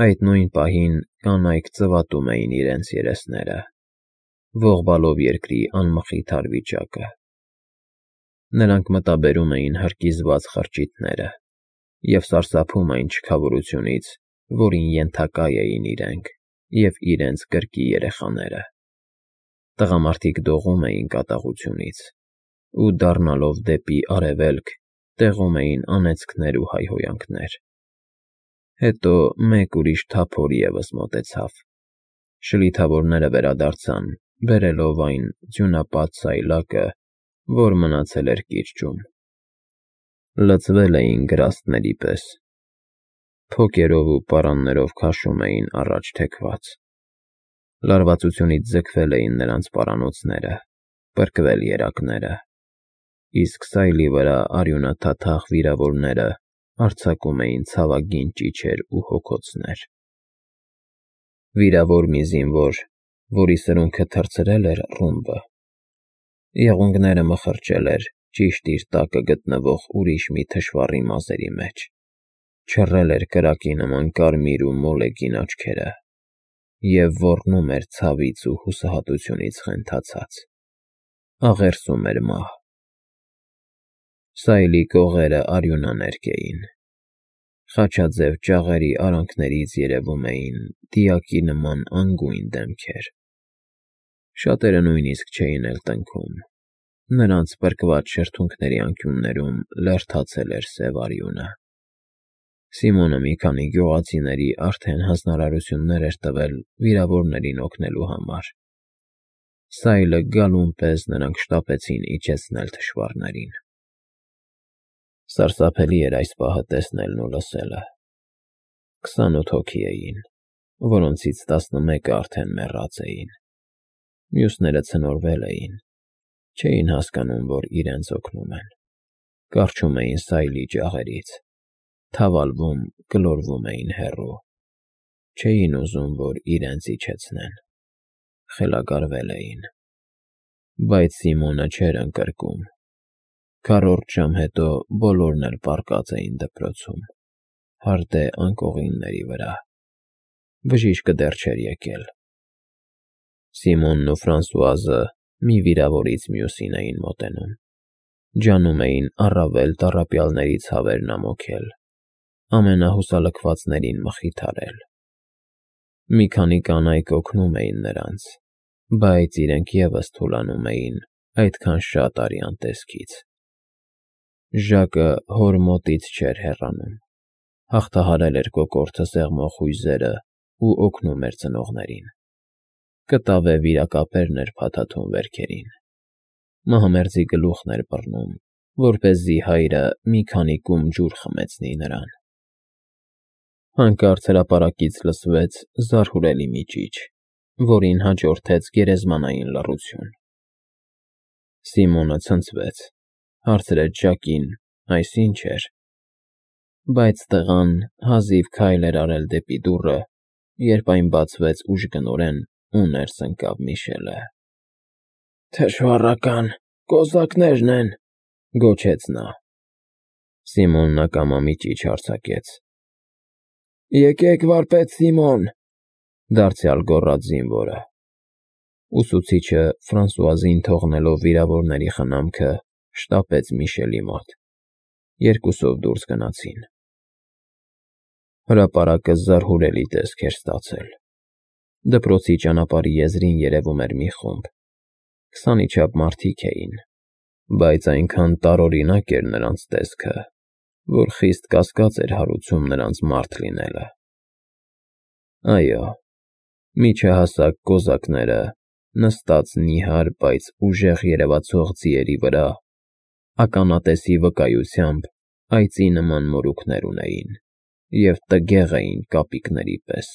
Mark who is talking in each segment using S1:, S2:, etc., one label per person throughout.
S1: Այդ նույն պահին կանայք ծվատում էին իրենց երեսները, ողբալով երկրի անմխիթար վիճակը։ Նրանք մտաբերում էին հրկիզված խրճիթները և սարսափում այն չքավորությունից, որին ենթակա էին իրենք և իրենց կրկի երեխաները։ Տղամարդիկ դողում էին կատաղությունից ու, դառնալով դեպի արևելք, տեղում էին անեծքներ ու հայհոյանքներ։ Հետո մեկ ուրիշ թափոր ևս մոտեցավ։ Շլիթավորները վերադարձան, բերելով այն ձյունապատ սայլակը, որ մնացել էր կիրճում։ Լցվել էին գրաստների պես։ Փոկերով ու պարաններով քաշում էին առաջ թեքված։ Լարվածությունից ձգվել էին նրանց պարանոցները, պրկվել երակները, իսկ սայլի վրա արյունաթաթախ վիրավորները արձակում էին ցավագին ճիչեր ու հոգոցներ։ Վիրավոր մի զինվոր, որի սրունքը թռցրել էր ռումբը, եղունգները մխրճել էր ճիշտ իր տակը գտնվող ուրիշ մի թշվառի մազերի մեջ, չռել էր կրակի նման կարմիր ու մոլեգին աչքերը և ոռնում էր ցավից ու հուսահատությունից խենթացած, աղերսում էր մահ։ Սայլի կողերը արյունաներկ էին։ Խաչաձև ճաղերի արանքներից երևում էին դիակի նման անգույն դեմքեր։ Շատերը նույնիսկ չէին էլ տնքում, նրանց պրկված շրթունքների անկյուններում լերդացել էր սև արյունը։ Սիմոնը մի քանի գյուղացիների արդեն հանձնարարություններ էր տվել վիրավորներին օգնելու համար։ Սայլը գալուն պես նրանք շտապեցին իջեցնել թշվառներին։ Սարսափելի էր այս պահը տեսնելն ու լսելը։ 28 հոգի էին, որոնցից 11-ը արդեն մեռած էին։ Մյուսները ցնորվել էին, չէին հասկանում, որ իրենց օգնում են։ Կառչում էին սայլի ջաղերից, թավալվում, գլորվում էին հեռու։ Չէին ուզում, որ իրենց իջեցնեն։ Խելագարվել էին։ Բայց Սիմոնը չէր ընկրկում։ Քառորդ ժամ հետո բոլորն էլ պառկած էին դպրոցում, հարդե անկողինների վրա։ Բժիշկը դեռ չէր եկել։ Սիմոնն ու Ֆրանսուազը մի վիրավորից մյուսին էին մոտենում, ջանում էին առավել տառապյալների ցավերն ամոքել, ամենահուսալքվածներին մխիթարել։ Մի քանի կանայք օգնում էին նրանց, բայց իրենք ևս թուլանում էին այդքան շատ արյան տեսքից։ Ժակը հոր մոտից չէր հեռանում, հաղթահարել էր կոկորդը սեղմող հույզերը ու օգնում էր ծնողներին։ Կտավե վիրակապերն էր փաթաթում վերքերին։ Մահմերձի գլուխն էր բռնում, որպեսզի հայրը մի քանի կում ջուր խմեցնի նրան։ Հանկարծ հրապարակից լսվեց զարհուրելի մի ճիչ, որին հաջորդեց գերեզմանային լռություն։ Սիմոնը ցնցվեց, հարցրեց Ժակին՝ այս ի՞նչ էր։ Բայց տղան հազիվ քայլ էր արել դեպի դուռը, երբ այն բացվեց ուժգնորեն ու ներս ընկավ Միշելը։ «Թշվառական կոզակներն են», ֊ գոչեց նա։ Սիմոնն ակամա մի ճիչ արձակեց։ «Եկեք, վարպետ Սիմոն», ֊ դարձյալ գոռաց զինվորը։ Ուսուցիչը Ֆրանսուազին թողնելով վիրավորների խնամքը, շտապեց Միշելի մոտ։ Երկուսով դուրս գնացին։ Հրապարակը զարհուրելի տեսք էր ստացել։ Դպրոցի ճանապարհի եզրին երևում էր մի խումբ։ 20-ի չափ մարդիկ էին, բայց այնքան տարօրինակ էր նրանց տեսքը, որ խիստ կասկած էր հարուցում նրանց մարդ լինելը։ Այո, միջահասակ կոզակները, նստած նիհար, բայց ուժեղ երևացող ձիերի վրա, ականատեսի վկայությամբ այծի նման մորուքներ ունեին և տգեղ էին կապիկների պես։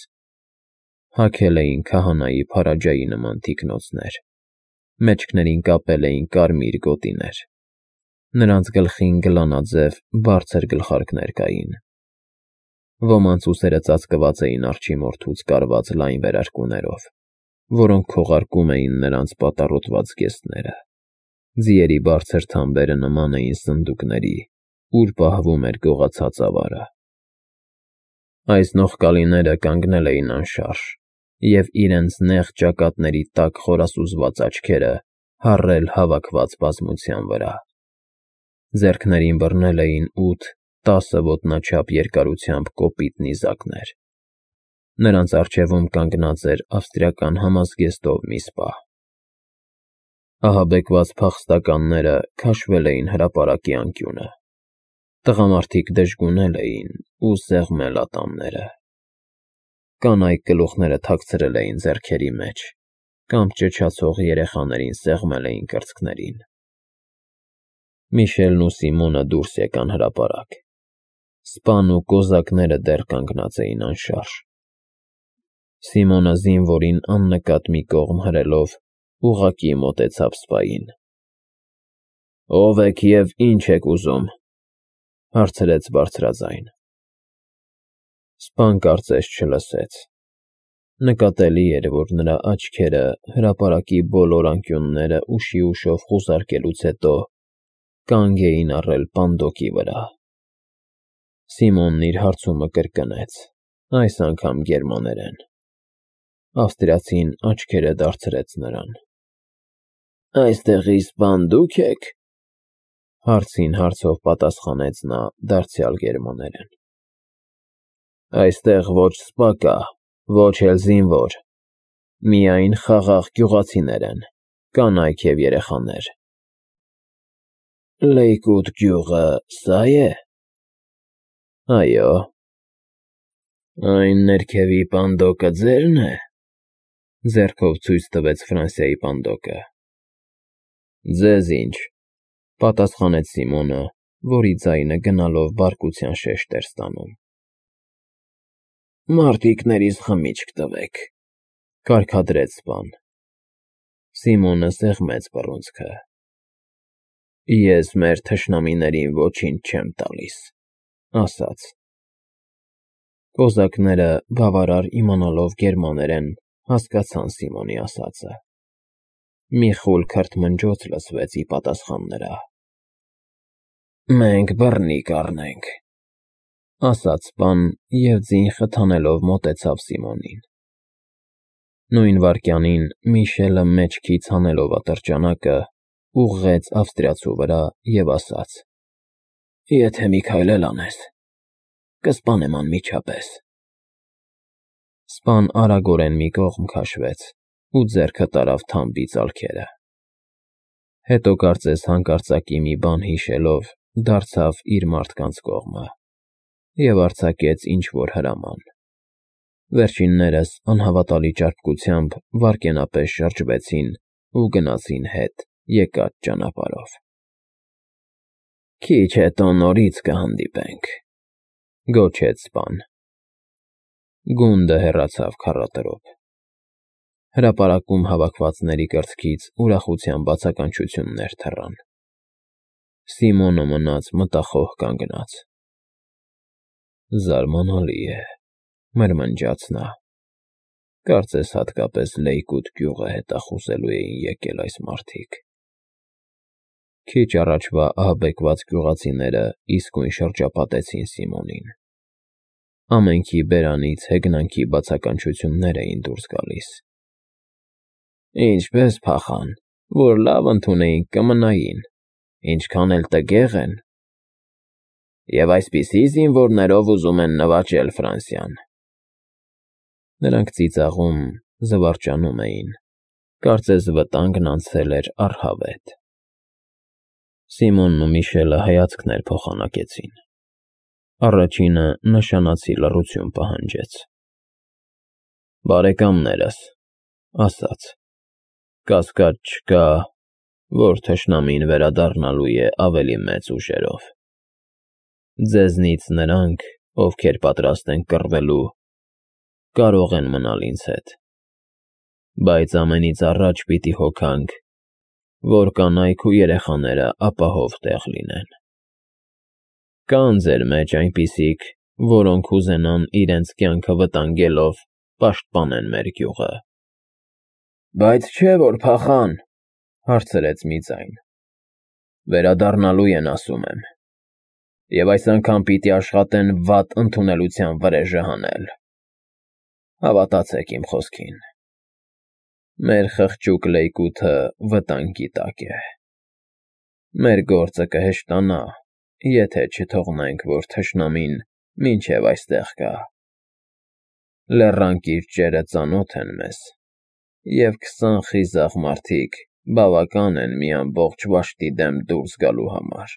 S1: Հագել էին քահանայի փարաջայի նման թիկնոցներ, մեջքներին կապել էին կարմիր գոտիներ։ Նրանց գլխին գլանաձև բարձր գլխարկներ կային։ Ոմանց ուսերը ծածկված էին արջի մորթուց կարված լայն վերարկուներով, որոնք քողարկում էին նրանց պատառոտված զգեստները։ Ձիերի բարձր թամբերը նման էին սնդուկների, ուր պահվում էր գողացած ավարը։ Այս նողկալիները կանգնել էին անշարժ, և իրենց նեղ ճակատների տակ խորասուզված աչքերը հառել հավաքված բազմության վրա։ Ձեռքներին բռնել էին 8-10 ոտնաչափ երկարությամբ կոպիտ նիզակներ։ Նրանց առջևում կանգնած էր ավստրիական համազգեստով մի սպա։ Ահաբեկված փախստականները քաշվել էին հրապարակի անկյունը։ Տղամարդիկ դժգունել էին ու սեղմել ատամները։ Կանայք գլուխները թաքցրել էին ձեռքերի մեջ կամ ճչացող երեխաներին սեղմել էին կրծքներին։ Միշելն ու Սիմոնը դուրս եկան հրապարակ։ Սպան ու կոզակները դեռ կանգնած էին անշարժ։ Սիմոնը զինվորին աննկատ մի կողմ հրելով ուղղակի մոտեցավ սպային։ «Ո՞վ եք և ի՞նչ եք ուզում», հարցրեց բարձրաձայն։ Սպան կարծես չլսեց։ Նկատելի էր, որ նրա աչքերը հրապարակի բոլոր անկյունները ուշիուշով խուզարկելուց հետո կանգ էին առել պանդոկի վրա։ Սիմոնն իր հարցումը կրկնեց, այս անգամ գերմաներեն։ Ավստրիացին աչքերը դարձրեց նրան։ «Այստեղի սպան դուք եք», հարցին հարցով պատասխանեց նա դարձյալ գերմաներեն։ «Այստեղ ոչ սպա կա, ոչ էլ զինվոր, միայն խաղաղ գյուղացիներ են, կանայք և երեխաներ»։ «Լեյկոտ գյուղը սա՞ է»։ «Այո»։ «Այն ներքևի պանդոկը ձե՞րն է», ձեռքով ցույց տվեց Ֆրանսիայի պանդոկը։ «Ձեզ ինչ», պատասխանեց Սիմոնը, որի ձայնը գնալով բարկության շեշտ էր ստանում։ «Մարտիկներիս խմիչք տվեք», կարգադրեց սպան։ Սիմոնը սեղմեց բռունցքը։ «Ես մեր թշնամիներին ոչինչ չեմ տալիս», ասաց։ Կոզակները, բավարար իմանալով գերմաներեն, հասկացան Սիմոնի ասածը։ Մի խուլ քրթմնջոց լսվեց ի պատասխան նրա։ «Մենք բռնի կառնենք», ասաց սպան և ձին խթանելով մոտեցավ Սիմոնին։ Նույն վայրկյանին Միշելը մեջքից հանելով ատրճանակը, ուղղեց ավստրիացու վրա և ասաց. «Եթե մի քայլ էլ անես, կսպանեմ անմիջապես»։ Սպան արագորեն մի կողմ քաշվեց ու ձեռքը տարավ թամբի ծալքերը։ Հետո կարծես հանկարծակի մի բան հիշելով, դարձավ իր մարդկանց կողմը և արձակեց ինչ֊որ հրաման։ Վերջիններս անհավատալի ճարպկությամբ վայրկենապես շրջվեցին ու գնացին հետ եկած ճանապարհով։ «Քիչ հետո նորից կհանդիպենք», գոչեց սպան։ Գունդը հեռացավ քառակրով։ Հրապարակում հավաքվածների կրծքից ուրախության բացականչություններ թռան։ Սիմոնը մնաց մտախոհ կանգնած։ «Զարմանալի է», մրմնջաց նա։ «Կարծես հատկապես Լեյկոտ գյուղը հետախուզելու էին եկել այս մարդիկ»։ Քիչ առաջվա ահաբեկված գյուղացիները իսկույն շրջապատեցին Սիմոնին։ Ամենքի բերանից հեգնանքի բացականչություններ էին դուրս գալիս։ «Ինչպես փախան, որ լավ ընդունեինք կմնային, ինչքան էլ տգեղ են։ Եվ այսպիսի զինվորներով ուզում են նվաճել Ֆրանսիան»։ Նրանք ծիծաղում, զվարճանում էին, կարծես վտանգն անցել էր առհավետ։ Սիմոնն ու Միշելը հայացքներ փոխանակեցին։ Առաջինը նշանացի լռություն պահանջեց։ «Բարեկամներս», ասաց, «կասկած չկա, որ թշնամին վերադառնալու է ավելի մեծ ուժերով։ Ձեզնից նրանք, ովքեր պատրաստ են կռվելու, կարող են մնալ ինձ հետ։ Բայց ամենից առաջ պիտի հոգանք, որ կանայք ու երեխաները ապահով տեղ լինեն։ Կան ձեր մեջ այնպիսիք, որոնք կուզենան իրենց կյանքը վտանգելով պաշտպանել մեր գյուղը»։ «Բայց չէ՞ որ փախան», հարցրեց մի ձայն։ «Վերադառնալու են, ասում եմ»։ Եվ այս անգամ պիտի աշխատեն վատ ընդունելության վրեժը հանել։ Հավատացեք իմ խոսքին։ Մեր խղճուկ լեյկութը վտանգի տակ է։ Մեր գործը կհեշտանա, եթե չթողնենք, որ թշնամին մինչև այստեղ գա։ Լեռան կիրճերը ծանոթ են մեզ, և 20 խիզախ մարդիկ բավական են մի ամբողջ վաշտի դեմ դուրս գալու համար։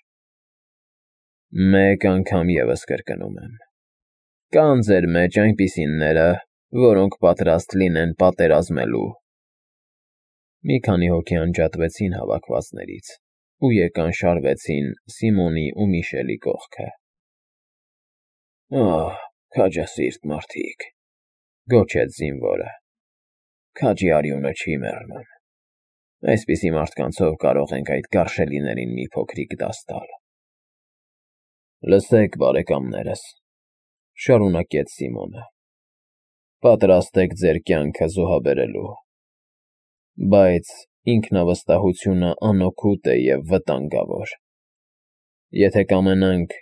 S1: Մեկ անգամ ևս կրկնում եմ. կան ձեր մեջ այնպիսիները, որոնք պատրաստ լինեն պատերազմելու։ Մի քանի հոգի անջատվեցին հավաքվածներից ու եկան շարվեցին Սիմոնի ու Միշելի կողքը։ «Ահ, քաջասիրտ մարդիկ», գոչեց զինվորը, «քաջի արյունը չի մեռնում։ Այսպիսի մարդկանցով կարող ենք այդ գարշելիներին մի փոքրիկ դաս տալ»։ «Լսեք, բարեկամներս», շարունակեց Սիմոնը, «պատրաստ եք ձեր կյանքը զոհաբերելու։ Բայց ինքնավստահությունը անօգուտ է և վտանգավոր։ Եթե կամենանք,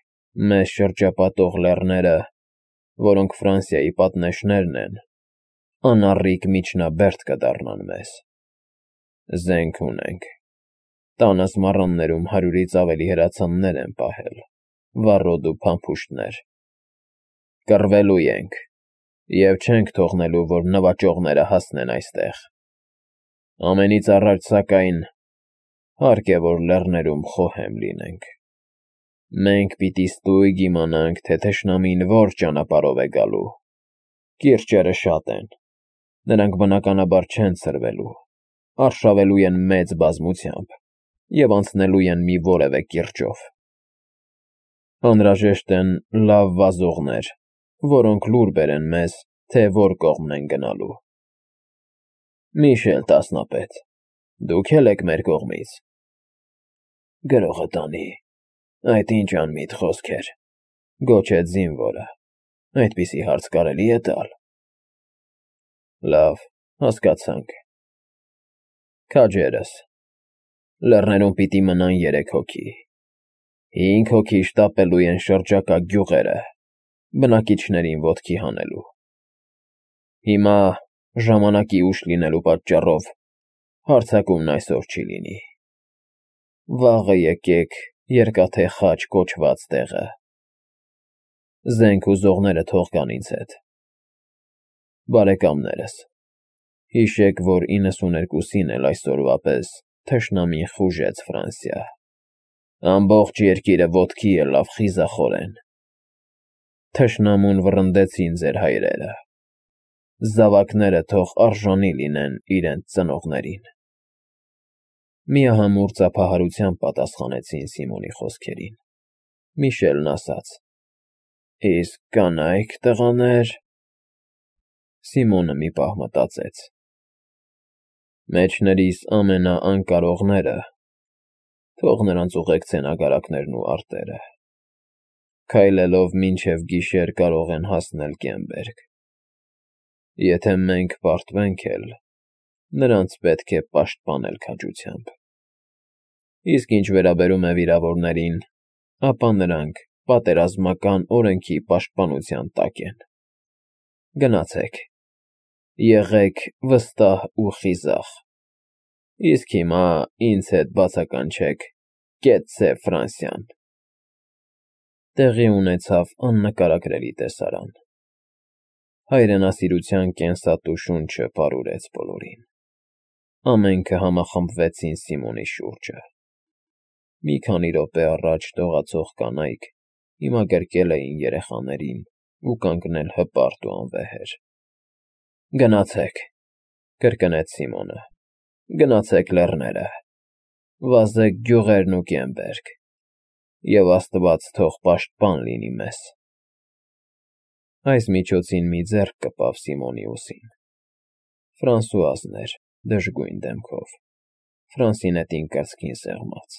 S1: մեզ շրջապատող լեռները, որոնք Ֆրանսիայի պատնեշներն են, անառիկ միջնաբերդ կդառնան մեզ։ Զենք ունենք, տանս մառաններում 100-ից ավելի հրացաններ են պահել, վառոդ ու փամփուշտներ։ Կռվելու ենք և չենք թողնելու, որ նվաճողները հասնեն այստեղ։ Ամենից առաջ, սակայն, հարկ է, որ լեռներում խոհեմ լինենք։ Մենք պիտի ստույգ իմանանք, թե թշնամին որ ճանապարհով է գալու։ Կիրճերը շատ են, նրանք բնականաբար չեն ցրվելու, արշավելու են մեծ բազմությամբ և անցնելու են մի որևէ կիրճով։ Անհրաժեշտ են լավ վազողներ, որոնք լուր բերեն մեզ, թե որ կողմն են գնալու։ Միշել տասնապետ, դուք էլ եք մեր կողմից։ Գրողը տանի, այդ ինչ անմիտ խոսքեր, գոչեց զինվորը, այդպիսի հարց կարելի է տալ։ Լավ, հասկացանք։ Քաջերս, լեռներում պիտի մնան 3 հոգի, 5 հոգի շտապելու են շրջակա գյուղերը, բնակիչներին ոտքի հանելու։ Հիմա, ժամանակի ուշ լինելու պատճառով, հարձակումն այսօր չի լինի։ Վաղը եկեք Երկաթե Խաչ կոչված տեղը։ Զենք ուզողները թող գան ինձ հետ։ Բարեկամներս, հիշեք, որ 92-ին էլ այսօրվա պես թշնամին խուժեց Ֆրանսիա։ Ամբողջ երկիրը ոտքի ելավ խիզախորեն։ Թշնամուն վռնդեցին ձեր հայրերը։ Զավակները թող արժանի լինեն իրենց ծնողներին։ Միահամուռ ծափահարությամբ պատասխանեցին Սիմոնի խոսքերին։ Միշելն ասաց. Իսկ կանայք, տղաներ… Սիմոնը մի պահ մտածեց։ Մեջներիս ամենաանկարողները, թող նրանց ուղեկցեն ագարակներն ու արտերը։ Քայլելով մինչև գիշեր կարող են հասնել Կեմբերգ։ Եթե մենք պարտվենք էլ, նրանց պետք է պաշտպանել քաջությամբ։ Իսկ ինչ վերաբերում է վիրավորներին, ապա նրանք պատերազմական օրենքի պաշտպանության տակ են։ Գնացեք, եղեք վստահ ու խիզախ։ Իսկ հիմա ինձ հետ բացականչեք կեցցե Ֆրանսիան։ Տեղի ունեցավ աննկարագրելի տեսարան։ Հայրենասիրության կենսատու շունչը պարուրեց բոլորին։ Ամենքը համախմբվեցին Սիմոնի շուրջը։ Մի քանի րոպե առաջ դողացող կանայք հիմա գրկել էին երեխաներին ու կանգնել հպարտ ու անվեհեր։ Գնացեք, կրկնեց Սիմոնը, գնացեք լեռները, վազեք գյուղերն ու Կեմբերգ, և Աստված թող պաշտպան լինի մեզ։ Այս միջոցին մի ձեռք կպավ Սիմոնի ուսին։ Ֆրանսուազն էր, դժգույն դեմքով, Ֆրանսինետին կրծքին սեղմած։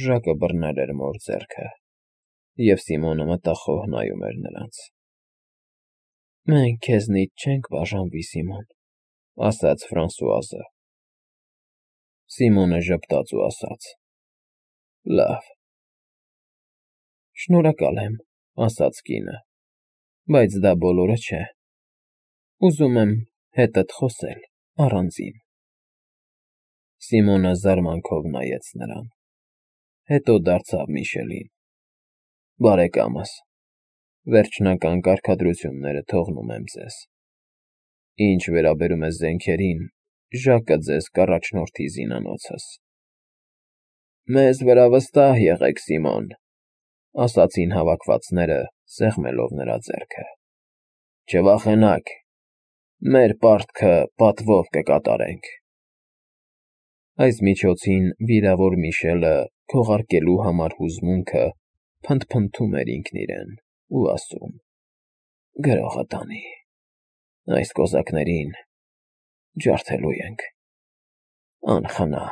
S1: Ժակը բռնել էր մոր ձեռքը, և Սիմոնը մտախոհ նայում էր նրանց։ Մենք քեզնից չենք բաժանվի, Սիմոն, ասաց Ֆրանսուազը։ Սիմոնը ժպտաց ու ասաց. Լավ։ Շնորհակալ եմ, ասաց կինը, բայց դա բոլորը չէ։ Ուզում եմ հետդ խոսել առանձին։ Սիմոնը զարմանքով նայեց նրան, հետո դարձավ Միշելին. Բարեկամս, վերջնական կարգադրությունները թողնում եմ ձեզ։ Ինչ վերաբերում է զենքերին, Ժակը ձեզ կառաջնորդի զինանոցս։ Մեզ վրա վստահ եղեք, Սիմոն, ասացին հավաքվածները, սեղմելով նրա ձեռքը։ Չվախենաք, մեր պարտքը պատվով կկատարենք։ Այս միջոցին վիրավոր Միշելը քողարկելու համար հուզմունքը փնթփնթում էր ինքն իրեն ու ասում. Գրողը տանի, այս կոզակներին ջարդելու ենք, անխնա։